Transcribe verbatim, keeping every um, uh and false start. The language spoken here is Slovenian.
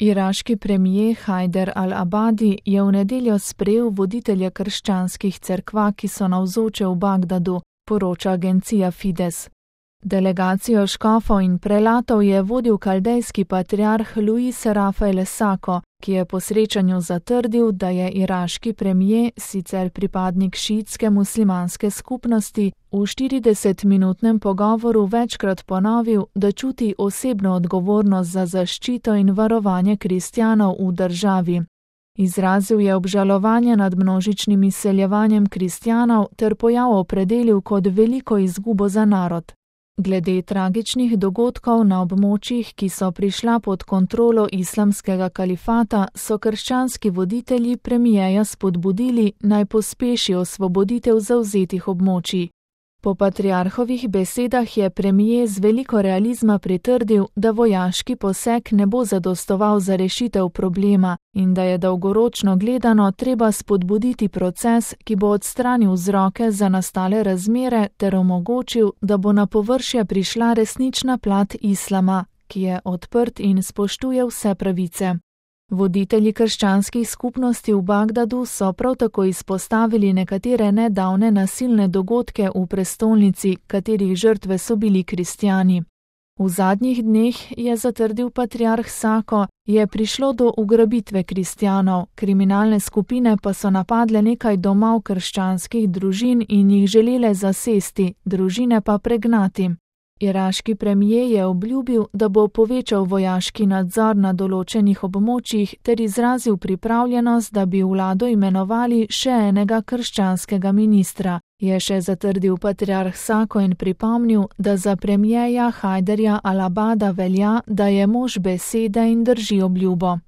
Iraški premijer Hajder al-Abadi je v nedeljo sprejel voditelje krščanskih cerkva, ki so navzoče v Bagdadu, poroča agencija Fides. Delegacijo škofov in prelatov je vodil kaldejski patriarh Luis Rafael Sako, ki je po srečanju zatrdil, da je iraški premijer, sicer pripadnik šiitske muslimanske skupnosti, v štiridesetminutnem pogovoru večkrat ponovil, da čuti osebno odgovornost za zaščito in varovanje kristjanov v državi. Izrazil je obžalovanje nad množičnim izseljevanjem kristjanov ter pojav opredelil kot veliko izgubo za narod. Glede tragičnih dogodkov na območjih, ki so prišla pod kontrolo islamskega kalifata, so krščanski voditelji premijeja spodbudili, naj pospeši osvoboditev zavzetih območij. Po patriarhovih besedah je premijer z veliko realizma pritrdil, da vojaški poseg ne bo zadostoval za rešitev problema in da je dolgoročno gledano treba spodbuditi proces, ki bo odstranil vzroke za nastale razmere ter omogočil, da bo na površje prišla resnična plat islama, ki je odprt in spoštuje vse pravice. Voditelji krščanskih skupnosti v Bagdadu so prav tako izpostavili nekatere nedavne nasilne dogodke v prestolnici, katerih žrtve so bili kristjani. V zadnjih dneh, je zatrdil patriarh Sako, je prišlo do ugrabitve kristjanov, kriminalne skupine pa so napadle nekaj domov krščanskih družin in jih želele zasesti, družine pa pregnati. Iraški premijer je obljubil, da bo povečal vojaški nadzor na določenih območjih ter izrazil pripravljenost, da bi vlado imenovali še enega krščanskega ministra, je še zatrdil patriarh Sako in pripomnil, da za premijeja Hajderja al-Abada velja, da je mož besede in drži obljubo.